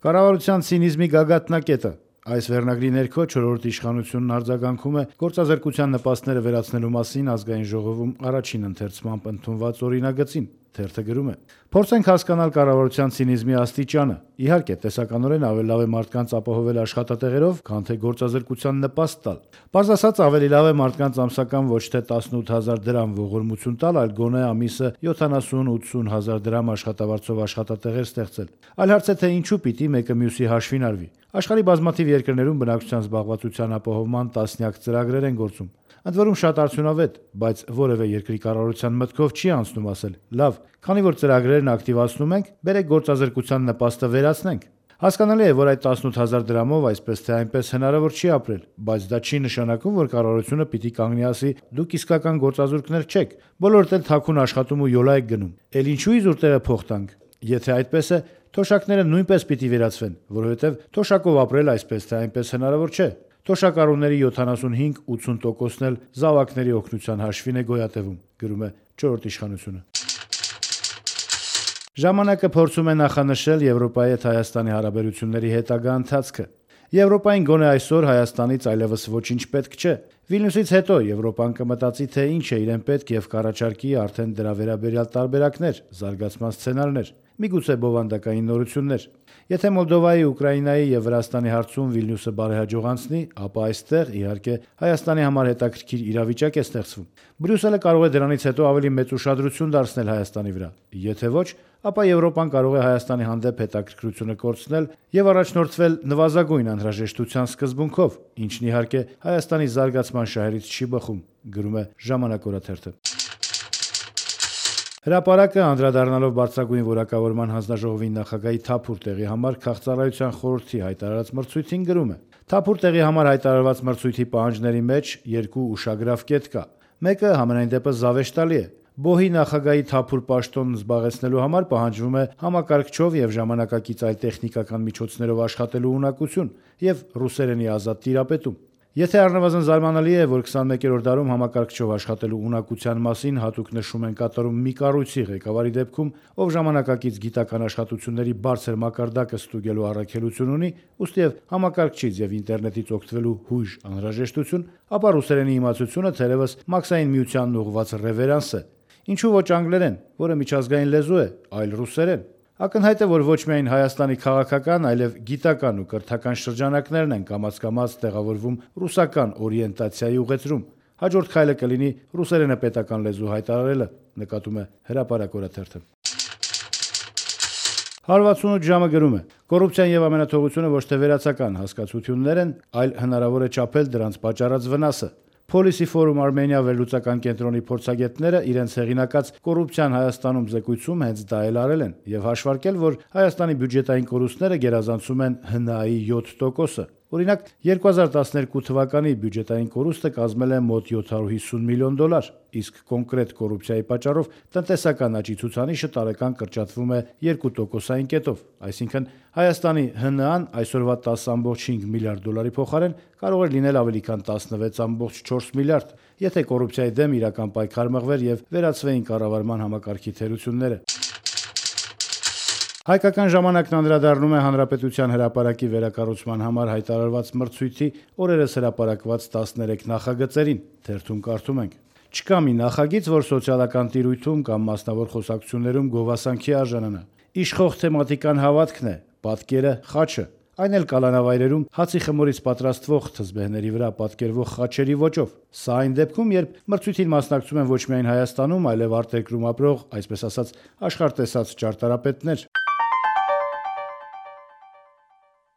Կառավարության ցինիզմի գագաթնակետը։ Այս վերնագրի ներքո 4-րդ իշխանությունն արձագանքում է գործազրկության նպաստները վերացնելու մասին ազգային ժողովում առաջին ընթերցմամբ ընդունված օրինագծին։ Թերթը գրում է. «Փորձենք հասկանալ կառավարության ցինիզմի աստիճանը։ Իհարկե, տեսականորեն ավելի լավ է մարդկանց ապահովել աշխատատեղերով, քան թե գործազրկության նպաստ տալ։ Պարզ ասած, ավելի լավ է մարդկանց ամսական ոչ թե 18,000 դրամ ողորմություն տալ, այլ գոնե ամիսը 70-80 հազար դրամ աշխատավարձով աշխատատեղեր ստեղծել։ Այլ հարց է, թե ինչու պիտի մեկը մյուսի հաշվին արվի։ Աշխարհի բազմաթիվ երկրներում բնակչության զբաղվածության ապահովման տասնյակ ծրագրեր են գործում։ Ընդ որում շատ արդյունավետ, բայց որևէ երկրի կառավարության մտքով չի անցնում ասել. լավ, քանի որ ծրագրերն ակտիվացնում ենք, բերեք գործազրկության նպաստը վերացնենք։ Հասկանալի է, որ այդ 18,000 դրամով այսպես թե այնպես հնարավոր չի ապրել, բայց դա չի նշանակում, որ կառավարությունը պիտի կանգնի ասի՝ դուք իսկական գործազուրկներ չեք, բոլորդ էլ թաքուն աշխատում ու յոլա եք գնում։ Էլ ինչու իզուր տեղը փող տանք։ Եթե այդպես է, թոշակները նույնպես պիտի վերացվեն, որովհետև թոշակով ապրել այսպես թե այնպես հնարավոր չէ։ Թոշակառուների 75-80%-ն էլ զավակների օգնության հաշվին է գոյատևում», գրում է 4-րդ իշխանությունը։ Ժամանակը փորձում է նախանշել Եվրոպայի հետ Հայաստանի հարաբերությունների հետագա ընթացքը։ Եվրոպային գոնե այսօր Հայաստանից այլևս ոչինչ պետք չէ։ Վիլնյուսից հետո Եվրոպան կմտածի, թե ինչ է իրեն պետք եւ կառաջարկի արդեն դրա վերաբերյալ տարբերակներ, զարգացման սցենարներ, միգուցե բովանդակային նորություններ։ Եթե Մոլդովայի, Ուկրաինայի եւ Վրաստանի հարցում Վիլնյուսը բարեհաջող անցնի, ապա այստեղ, իհարկե, Հայաստանի համար հետաքրքիր իրավիճակ է ստեղծվում։ Բրյուսելը կարող է դրանից հետո ավելի մեծ ուշադրություն դարձնել Հայաստանի վրա։ Եթե ոչ, ապա Եվրոպան կարող է Հայաստանի հանդեպ հետաքրքրությունը կորցնել եւ առաջնորդվել նվազագույն անհրաժեշտության սկզբունքով, ինչն իհարկե Հայաստանի զարգացման շահերից չի բխում, գրում է Ժամանակ օրաթերթը։ Հրապարակը անդրադառնալով բարձրագույն որակավորման հանձնաժողովի նախագահի թափուր տեղի համար քաղցրահարության խորհրդի հայտարարած մրցույթին գրում է. «Թափուր տեղի համար հայտարարված մրցույթի պահանջների մեջ երկու ուշագրավ կետ կա։ Մեկը համենայն դեպս զավեշտալի է։ Բոհի նախագահի թափուր պաշտոնն զբաղեցնելու համար պահանջվում է համակարգչով եւ ժամանակակից այլ տեխնիկական միջոցներով աշխատելու ունակություն եւ ռուսերենի ազատ տիրապետում։ Եթե առնվազն զարմանալի է, որ 21-րդ դարում համակարգչով աշխատելու ունակության մասին հատուկ նշում են կատարում մի կառույցի ղեկավարի դեպքում, ով ժամանակակից գիտական աշխատությունների բարձր մակարդակը ստուգելու առաքելություն ունի, ուստիև համակարգչից եւ ինտերնետից օգտվելու հույժ անհրաժեշտություն, ապա ռուսերենի իմացությունը թերևս Մաքսային միությանն ուղղված ռևերանս է։ Ինչու ոչ անգլերեն, որը միջազգային լեզու է, այլ ռուսերեն։ Ակնհայտ է, որ ոչ միայն Հայաստանի քաղաքական, այլև գիտական ու կրթական շրջանակներն են կամաց-կամաց տեղավորվում ռուսական օրիենտացիայի ուղեծրում։ Հաջորդ քայլը կլինի ռուսերենը պետական լեզու հայտարարելը, նկատում է Հրապարակ օրաթերթը։ 168 ժամը գրում է. «Կոռուպցիան եւ ամենաթողությունը ոչ թե վերացական հասկացություններ են, այլ հնարավոր է չափել դրանց պատճառած վնասը։ Policy Forum Armenia վերլուծական կենտրոնի փորձագետները իրենց հեղինակած «Կոռուպցիան Հայաստանում» զեկույցում հենց դա էլ արել են եւ հաշվարկել, որ Հայաստանի բյուջետային կորուստները գերազանցում են ՀՆԱ-ի 7%-ը։ Օրինակ, 2012 թվականի բյուջետային կորուստը կազմել է մոտ $750 միլիոն, իսկ կոնկրետ կոռուպցիայի պատճառով տնտեսական աճի ցուցանիշը տարեկան կրճատվում է 2%-ային կետով, այսինքն Հայաստանի ՀՆԱ-ն այսօրվա $10.5 միլիարդ փոխարեն կարող էր լինել ավելի քան $16.4 միլիարդ, եթե կոռուպցիայի դեմ իրական պայքար մղվեր եւ վերացվեին կառավարման համակարգի թերությունները։ Հայկական ժամանակն անդրադառնում է Հանրապետության հրապարակի վերակառուցման համար հայտարարված մրցույթի օրերս հրապարակված 13 նախագծերին։ Թերթում կարդում ենք. «Չկա մի նախագիծ, որ սոցիալական տիրույթում կամ մասնավոր խոսակցություններում գովասանքի արժանանա։ Իշխող թեմատիկան հավատքն է, պատկերը խաչը, այն էլ կալանավայրերում հացի խմորից պատրաստվող թզբեհների վրա պատկերվող խաչերի ոճով։ Սա այն դեպքում, երբ մրցույթին մասնակցում են ոչ միայն Հայաստանում, այլև արտերկրում ապրող, այսպես ասած, աշխարհ տեսած ճարտարապետներ։